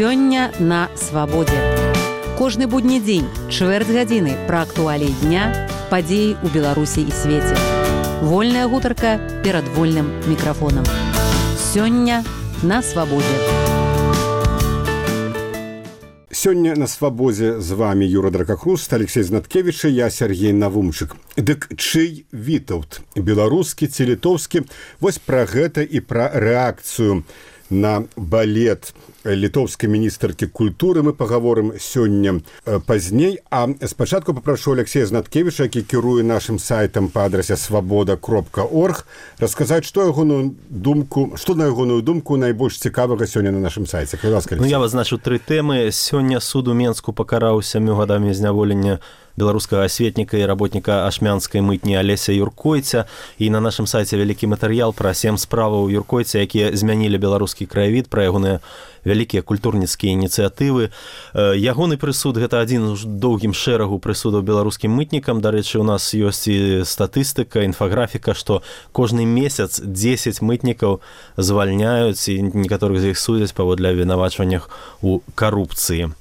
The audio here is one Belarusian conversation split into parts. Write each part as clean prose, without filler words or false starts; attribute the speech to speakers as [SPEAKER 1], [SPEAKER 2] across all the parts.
[SPEAKER 1] Сёння на свабодзе. Кожны будні дзень, чвэрць гадзіны пра актуаліі дня, падзеі ў Беларусі і свеце. Вольная гутарка перад вольным мікрафонам. Сёння на свабодзе.
[SPEAKER 2] Сёння на свабозе з вами Юра Дракахруст, Алексей Знаткевич і я, Сергей Навумчык. Дык чый вітаўт, беларускі ці літоўскі? Вось пра гэта і пра рэакцыю на балет літоўскай міністэркі культуры мы пагаворым сёння пазней. А спачатку папрашу Алексея Знаткевіча, які кіруе нашым сайтам па адрасе свабода.орг, расказаць, што на ягоную думку найбольш цікавага сёння на нашым сайце.
[SPEAKER 3] Я вызначыў 3 тэмы. Сёння суд у Менску пакараў 7 гадамі зняволення беларускага асветніка і работніка ашмянскай мытні Алеся Юркойця. І на нашым сайце вялікі матэрыял пра 7 справаў Юркойця, якія змянілі беларускі краявід, пра ягоныя вялікія культурніцкія ініцыятывы. Ягоны прысуд – гэта адзін з доўгім шэрагу прысудаў беларускім мытнікам. Дарэчы, у нас ёсць і статыстыка, інфаграфіка, што кожны месяц 10 мытнікаў звальняюць, і некаторых з іх судзяць паводле абвінавачваннях у карупцыі.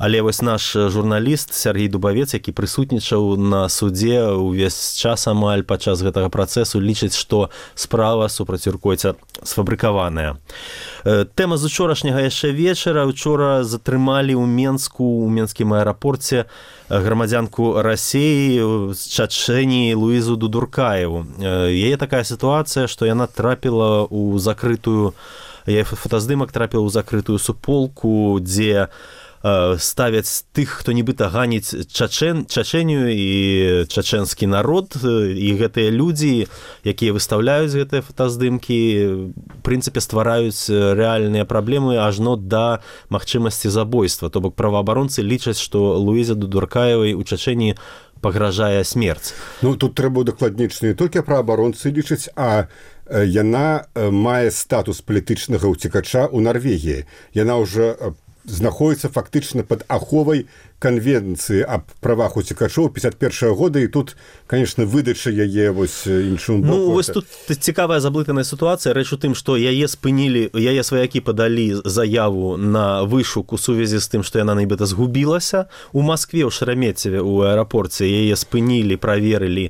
[SPEAKER 3] Але вось наш журналіст Сергей Дубавец, які прысутнічаў на судзе ўвесь час амаль падчас гэтага працэсу, лічыць, што справа супраць Юркойця сфабрыкаваная. Тэма з учорашняга яшчэ вечара. Учора затрымалі ў Менску, у менскім аэрапорце грамадзянку Расіі з Чачэніі Луізу Дудуркаеву. Яе такая сітуацыя, што яна трапіла ў закрытую, яе фотаздымак трапіў у закрытую суполку, дзе ставяць тых, хто нібыта ганіць Чачэнію і чачэнскі народ, і гэтыя людзі, якія выстаўляюць гэтыя фотаздымкі, в прынцыпе ствараюць рэальныя праблемы ажно да магчымасці забойства. То бок праваабаронцы лічаць, што Луізе Дудуркаевай у Чачэніі пагражае смерць.
[SPEAKER 2] Тут трэба удакладніць, не толькі праваабаронцы лічаць, а яна мае статус палітычнага ўцекача ў Нарвегіі. Яна ўжо знаходіцца фактычна пад аховай канвенцыі аб правах уцекачоў 51 года, і тут, конечно, выдача яе вось іншым боку.
[SPEAKER 3] Вось тут цікавая заблытаная сітуацыя. Рэч у тым, што яе спынілі, яе сваякі падалі заяву на вышук у сувязі з тым, што яна нібыта згубілася. У Маскве, ў Шереметьеве, у аэрапорце яе спынілі, праверылі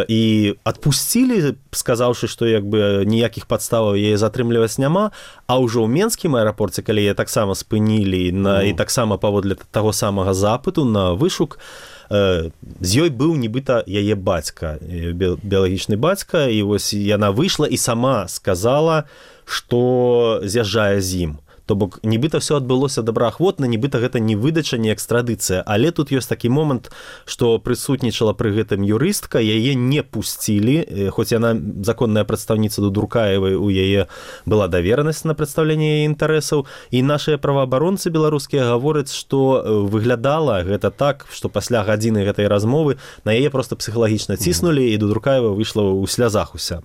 [SPEAKER 3] і адпусцілі, сказаўшы, што ніякіх падставаў яе затрымліваць няма. А ўжо ў Менскім аэрапорце, калі яе таксама спынілі і таксама паводле таго самага запыту на вышук, з ёй быў нібыта яе бацька, біялагічны бацька, і вось яна выйшла і сама сказала, што з'язджае з ім. То бок, нібыта ўсё адбылося добраахвотна, нібыта гэта не выдача, не экстрадыцыя. Але тут ёсць такі момант, што прысутнічала пры гэтым юрыстка, яе не пусцілі, хоць яна законная прадстаўніца Дудуркаевай, у яе была даверанасць на прадстаўленне яе інтарэсаў. І нашыя праваабаронцы беларускія гавораць, што выглядала гэта так, што пасля гадзіны гэтай размовы на яе проста псіхалагічна ціснулі, і Дудуркаева выйшла ў слязах уся.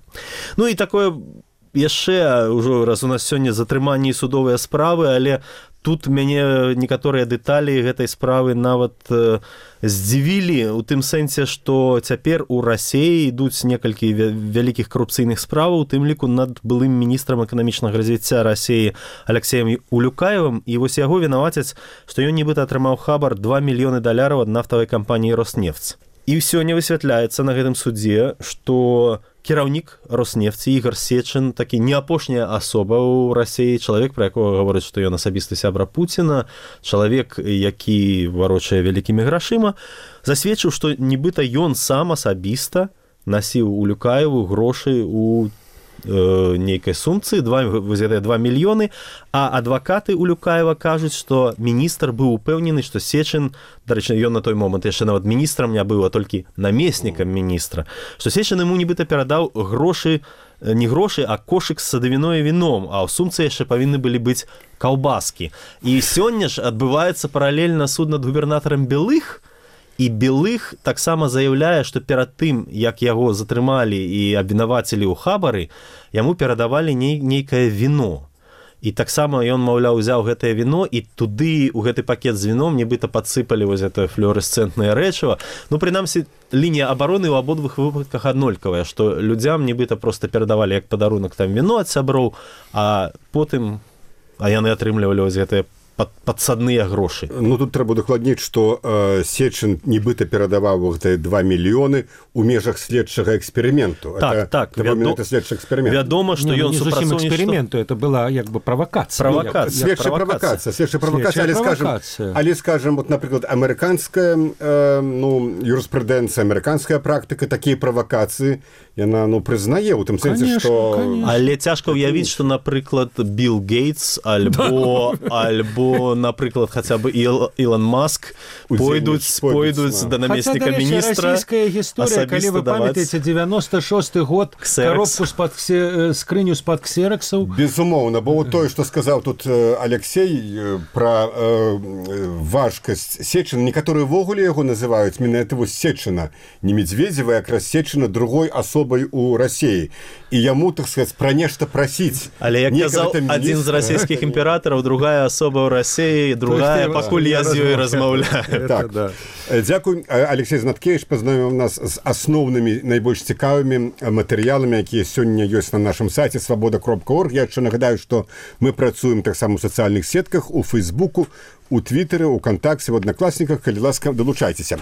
[SPEAKER 3] І такое яшчэ, ўжо раз у нас сёння затрыманні судовыя справы, але тут мяне некаторыя дэталі гэтай справы нават здзівілі, у тым сэнсе, што цяпер у Расіі ідуць некалькі вялікіх карупцыйных справаў, у тым ліку над былым міністрам эканамічнага развіцця Расіі Алексеем Улюкаевым, і вось яго вінавацяць, што ён нібыта атрымаў хабар $2 мільёны ад нафтавай кампаніі «Роснефть». І сёння высвятляецца на гэтым судзе, што кіраўнік «Роснефці» Ігор Сечын, такі не апошняя асоба ў Расіі, чалавек, пра якога гаворыць, што ён асабісты сябра Пуціна, чалавек, які варочае вялікімі грашыма, засведчыў, што нібыта ён сам асабіста насіў Улюкаеву грошы у нейкай сумцы, 2 мільёны, а адвакаты Улюкаева кажуць, што міністр быў упэўнены, што Сечын, дарэчы, ён на той момант яшчэ нават міністрам не быў, а толькі намеснікам міністра, што Сечын яму нібыта перадаў грошы, не грошы, а кошык з садавіной і віном, а ў сумцы яшчэ павінны былі быць каўбаскі. І сёння ж адбываецца паралельна суд над губернатарам Белых, і Белых таксама заяўляе, што перад тым, як яго затрымалі і абвінавацілі ў хабары, яму перадавалі нейкае віно. І таксама ён, маўляў, узяў гэтае віно, і туды, у гэты пакет з віном, нібыта падсыпалі вось гэта флюорэсцэнтнае рэчыва. Прынамсі, лінія абароны ў абодвух выпадках аднолькавая, што людзям нібыта проста перадавалі як падарунак там віно ад сяброў, а потым яны атрымлівалі вось гэтае падсадныя грошы.
[SPEAKER 2] Ну, тут трэба дакладніць, што Сечын нібыта перадаваў гэтыя 2 мільёны у межах следчага эксперыменту.
[SPEAKER 3] Так,
[SPEAKER 2] следчы эксперымент.
[SPEAKER 3] Вядома, што ён
[SPEAKER 4] супрацоўнічаў эксперыменту, это была як бы правакацыя.
[SPEAKER 2] Следчая правакацыя. Але, скажем, вот, напрыклад, амерыканская юрыспрудэнцыя, амерыканская практыка, такія правакацыі, яна, прызнае, у тым сэнсе, што...
[SPEAKER 3] Але цяжка ўявіць, што, напрыклад, Билл Гейтс альбо, напрыклад, хаця бы Ілон Маск пойдуць да намесніка міністра.
[SPEAKER 4] Расійская гісторыя, калі вы памятаеце, 96-й год, коробку скрыню з-пад ксераксаў.
[SPEAKER 2] Безумоўна, бо вот тое, што сказаў тут Алексей пра важкасць Сечына, некаторыя ввогуле яго называюць менавіта вось Сечына, не Медведзева, якраз Сечына другой асобай у Расіі. І яму, так сказаць, пра нешта прасіць.
[SPEAKER 3] Але, як казаў адзін з расійскіх імператараў, другая асоба ў Расіі, другая, пакуль я з ёй размаўляю.
[SPEAKER 2] Так, дзякуй. Алексей Знаткевіч пазнаёміў нас з асноўнымі, найбольш цікавымі матэрыяламі, якія сёння ёсць на нашым сайце свабода.орг. Я яшчэ нагадаю, што мы працуем таксама ў сацыяльных сетках, у Фейсбуку, у Твіттеры, у Кантакце, в Аднакласніках. Калі ласка, далучайцеся.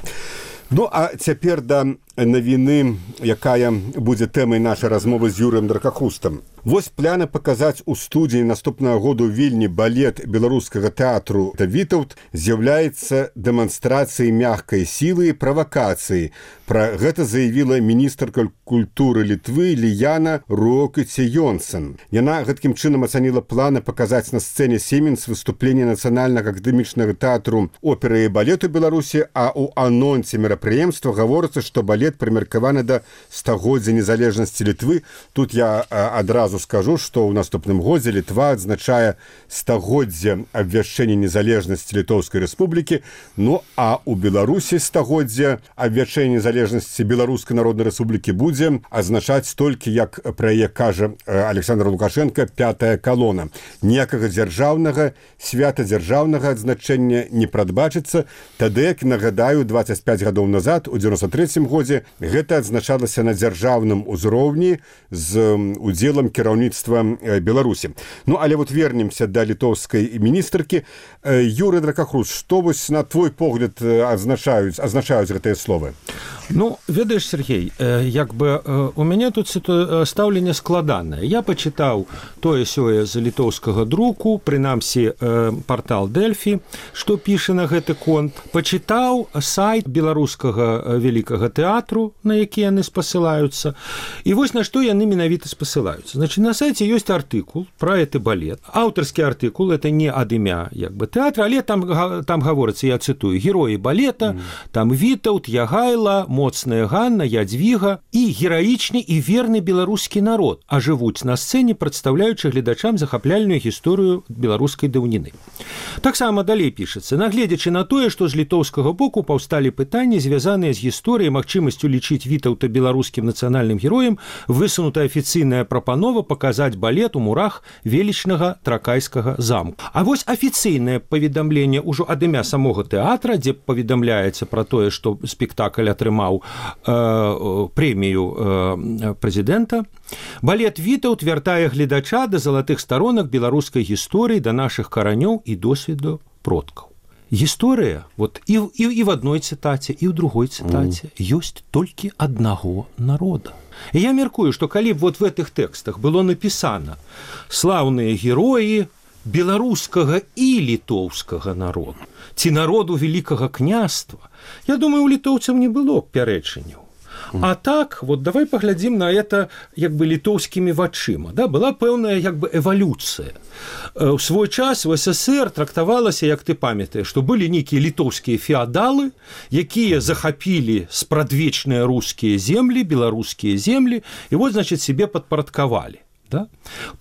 [SPEAKER 2] Ну, а цяпер да навіны, якая будзе тэмай нашай размовы з Юрыем Дракахрустам. Вось пляны паказаць у студыі наступнага году Вільні балет беларускага тэатру «Вітаўт» з'яўляецца дэманстрацыяй мягкай сілы і правакацыі. Пра гэта заявіла міністрка культуры Літвы Ліяна Руокіце-Йонсен. Яна гэткім чынам ацаніла планы паказаць на сцэне Сіменс выступленне нацыянальнага акадэмічнага тэатру оперы і балету Беларусі, а ў анонсе мерапрыемства гаворыцца, што балет прымеркаваны да стагоддзя незалежнасці Літвы. Тут я адразу скажу, што ў наступным годзе Літва адзначае стагоддзе абвяшчэння незалежнасці Літоўскай рэспублікі, ну а ў Беларусі стагоддзе абвяшчэння незалежнасці Беларускай народнай рэспублікі будзе азначаць толькі, як пра яе кажа Александр Лукашенко, пятая калона. Ніякага дзяржаўнага свята, дзяржаўнага адзначэння не прадбачыцца. Тады, як нагадаю, 25 гадоў назад, у 93-м годзе, гэта адзначалася на дзяржаўным узроўні з удзелам кіраўніцтва Беларусі. Ну, але вот вернемся да літоўскай міністркі. Юрый Дракахруст, што вось на твой погляд азначаюць гэтыя словы?
[SPEAKER 4] Ну, ведаеш, Сергей, як бы у мяне тут стаўленне складанае. Я пачытаў тое-сёе з літоўскага друку, прынамсі партал Дэльфі, што піша на гэты конт. Пачытаў сайт беларускага вялікага тэатру, на які яны спасылаюцца. І вось на што яны менавіта спасылаюцца. Значит, на сайце ёсць артыкул пра гэты балет. Аўтарскі артыкул, это не ад імя як бы тэатра, але там гаворыцца, я цытую, героі балета, там Вітаўт, Ягайла, моцная Ганна, Ядвіга і гераічны і верны беларускі народ, а жывуць на сцэне, прадстаўляючы гледачам захапляльную гісторыю беларускай даўніны. Таксама далей пішацца, нагледзячы на тое, што з літоўскага боку паўсталі пытанні, звязаныя з гісторыяй, магчымасцю лічыць Вітаўта беларускім нацыянальным героем, высунутая афіцыйная прапанова паказаць балет у мурах велічнага тракайскага замку. А вось афіцыйнае паведамленне ўжо ад імя самога тэатра, дзе паведамляецца пра тое, што спектакль атрымаў прэмію прэзідэнта. Балет «Вітаўт» вяртае гледача да залатых старонак беларускай гісторыі, да нашых каранёў і досведу продкаў. Гісторыя, вот і в адной цытаце, і ў другой цытаце ёсць толькі аднаго народа. І я мяркую, што калі б вот в гэтых тэкстах было напісана слаўныя героі беларускага і літоўскага народу, ці народу вялікага княства, я думаю, у літоўцаў не было пярэчанняў. А так, вот давай паглядзім на это як бы літоўскімі вачыма. Да? Была пэўная як бы эвалюцыя. У свой час в СССР трактавалася, як ты памятаеш, што былі нейкія літоўскія феадалы, якія захапілі спрадвечныя рускія землі, беларускія землі, і вот, значит, себе падпарадкавалі. Да?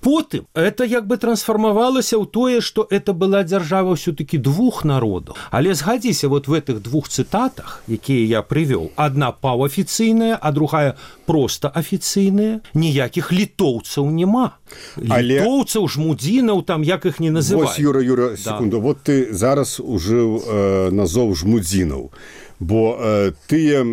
[SPEAKER 4] Потым это як бы трансфармавалася ў тое, што это была дзяржава ўсё-таки двух народаў. Але згадзіся, вот в этих двух цытатах, якія я прывёў, адна паўафіцыйная, а другая проста афіцыйная, ніякіх літоўцаў няма. Літоўцаў, жмудзінаў, там як іх не называюць.
[SPEAKER 2] Вось, Юра, секунду, вот ты зараз ужыў назоў жмудзінаў, бо тыя,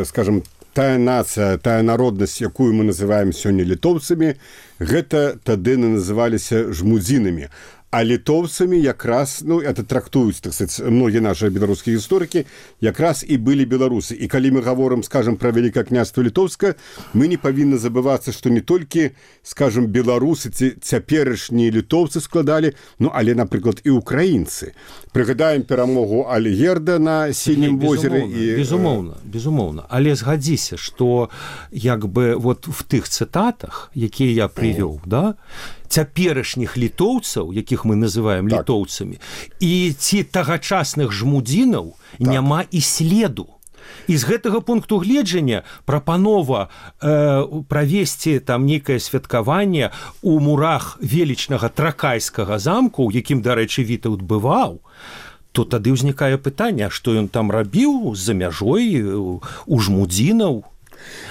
[SPEAKER 2] скажем, тая нацыя, тая народнасць, якую мы называем сёння літоўцамі, гэта тады называліся жмудзінамі. А літоўцамі якраз, ну, это трактуюць, так сказать, многія наши беларускія гісторыкі, якраз і былі беларусы. І калі мы гаворым, скажем, пра Вялікае княства Літоўскае, мы не павінны забывацца, што не толькі, скажем, беларусы ці цяперашнія літоўцы складалі, ну, але, напрыклад, і украінцы. Прыгадаем перамогу Альгерда на Сінім возеры.
[SPEAKER 4] Безумоўна. Але згадзіся, што як бы вот в тых цытатах, якія я прывёў, да, цяперашніх літоўцаў, якіх мы называем літоўцамі, і ці тагачасных жмудзінаў няма і следу. І з гэтага пункту гледжання прапанова правесці там нейкае святкаванне у мурах велічнага Тракайскага замку, у якім, дарэчы, Вітаўт бываў, то тады ўзнікае пытанне, што ён там рабіў за мяжой у жмудзінаў.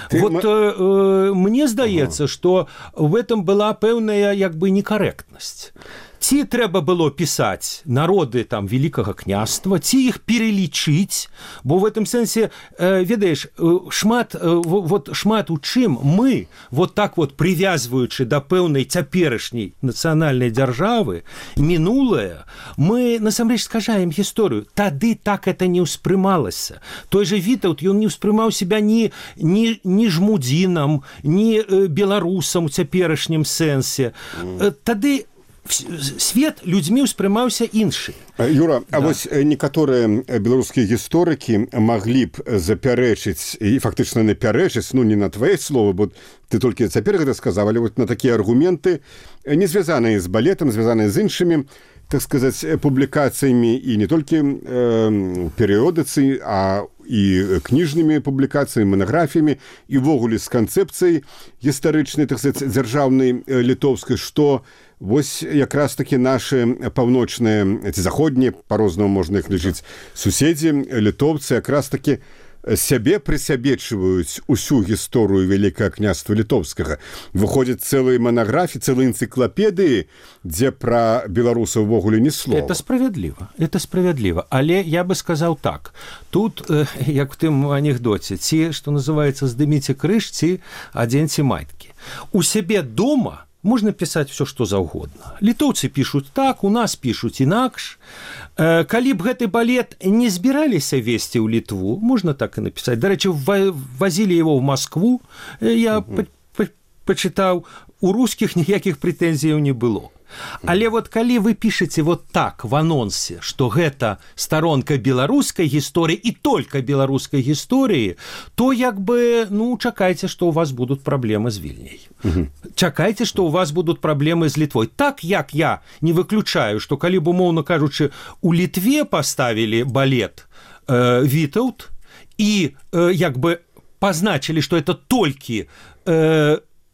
[SPEAKER 4] Мне здаецца, што в этом была пэўная як бы некарэктнасць. Ці трэба было пісаць народы там Великага княства, ці іх перелічыць, бо в этом сэнсе, ведаеш, шмат у чым мы, вот так вот привязваючы да пэўнай цяперашняй нацыянальнай дзяржавы, мінулае, мы насамрэч скажаем гісторыю. Тады так это не ўспрымалася. Той же Вітаўт, ён не ўспрымаў себя ні жмудзінам, ні беларусам у цяперашнім сэнсе. Тады свет людзьмі ўспрымаўся іншы.
[SPEAKER 2] Юра, а вось некаторыя беларускія гісторыкі маглі б запярэчыць і фактычна напярэчыць, ну не на твае словы, бо ты толькі цяпер гэта сказаў, але вот на такія аргументы, не звязаныя з балетам, звязаныя з іншымі, так сказаць, публікацыямі і не толькі перыёдыцы, а і кніжнымі публікацыямі, манаграфіямі, і ввогуле з канцэпцыяй гістарычнай, так сказаць, дзяржаўнай літоўскай, што вось якраз такі нашы паўночныя ці заходнія, па-рознаму можна іх лічыць, суседзі, літоўцы якраз такі сябе прысябечваюць усю гісторыю Вялікага княства Літоўскага. Выходзяць цэлыя манаграфіі, цэлыя энцыклапедыі, дзе пра беларусаў увогуле ні слова.
[SPEAKER 4] Это справядліва. Але я бы сказаў так. Тут, як в тым анекдоце, ці, што называецца, здыміце крыж, ці адзеньце майкі. У сябе дома можна пісаць все, што заўгодна. Літоўцы пішуць так, у нас пішуць інакш. Калі б гэты балет не збіраліся весці ў Літву, можна так і напісаць. Дарэчы, вазілі его в Москву, я пачытаў, у рускіх ніякіх прэтэнзіяў не было. Але вот калі вы пішаце вот так в анонсе, што гэта старонка беларускай гісторыі і толькі беларускай гісторыі, то як бы, ну, чакайце, што у вас будуць праблемы з Вільняй. Чакайце, што у вас будуць праблемы з Літвой. Так, як я не выключаю, што калі б, умоўна кажучы, у Літве паставілі балет Вітаўт і як бы пазначылі, што это толькі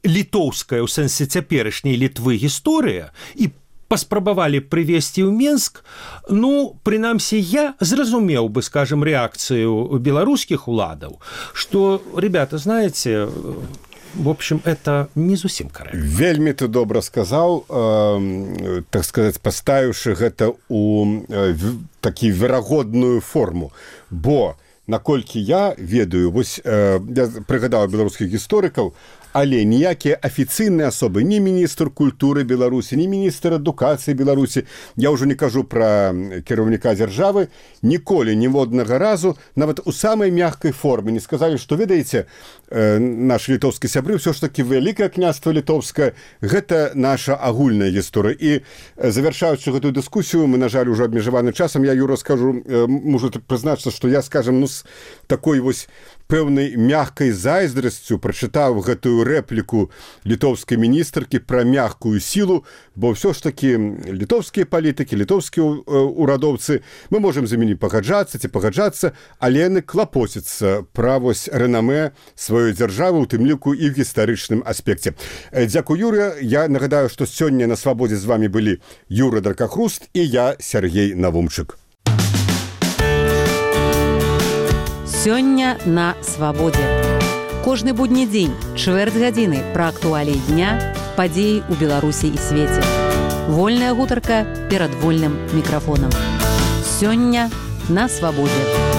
[SPEAKER 4] літоўская ў сэнсе цяперашняй Літвы гісторыя і паспрабавалі прывесці ў Менск, ну, прынамсі, я зразумеў бы, скажем, рэакцыю беларускіх уладаў, што, ребята, знаете, в общем, это не зусім карэктна.
[SPEAKER 2] Вельмі ты добра сказаў, так сказаць, паставіўшы гэта ў такі верагодную форму, бо, наколькі я ведаю, вось я прыгадаў беларускіх гісторыкаў, але ніякія афіцыйныя асобы, ні міністр культуры Беларусі, ні міністр адукацыі Беларусі, я ўжо не кажу пра кіраўніка дзяржавы, ніколі, ніводнага разу, нават у самай мяккай форме не сказалі, што, ведаеце, нашы літоўскія сябры, ўсё ж такі Вялікае княства Літоўскае, гэта наша агульная гісторыя. І завяршаючы гэтую дыскусію, мы, на жаль, ужо абмежаваны часам, я, Юра, скажу, можу прызначыцца, што я, скажем, ну, з такой вось пэўнай мяккай зайздрасцю прачытаў гэтую рэпліку літоўскай міністркі пра мяккую сілу, бо ўсё ж такі літоўскія палітыкі, літоўскія урадоўцы, мы можам з імі пагаджацца ці пагаджацца, але яны клапоцяцца пра вось рэнамэ сваёй дзяржавы, у тым ліку і ў гістарычным аспекце. Дзякуй, Юрыя. Я нагадаю, што сёння на свабодзе з вами былі Юра Дракахруст і я, Сергей Навумчык.
[SPEAKER 1] Сёння на свабодзе. Кожны будні дзень, чвэрць гадзіны пра актуаліі дня, падзеі ў Беларусі і свеце. Вольная гутарка перад вольным мікрафонам. Сёння на свабодзе.